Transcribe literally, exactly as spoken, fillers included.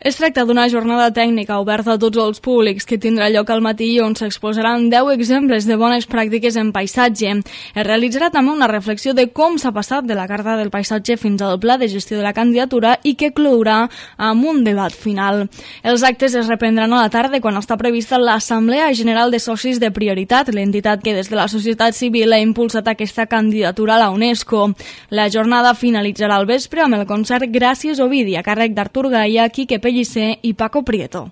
Es tracta d'una jornada tècnica oberta a tots els públics que tindrà lloc al matí i on s'exposaran deu exemples de bones pràctiques en paisatge. Es realitzarà també una reflexió de com s'ha passat de la Carta del Paisatge fins al Pla de Gestió de la Candidatura i que clourà amb un debat final. Els actes es reprendran a la tarda quan està prevista l'Assemblea General de Socis de Prioritat, l'entitat que des de la societat civil ha impulsat aquesta candidatura a la UNESCO. La jornada finalitzarà al vespre amb el concert Gràcies Ovidi a càrrec d'Artur Gaia, Quique Pellicer i Paco Prieto.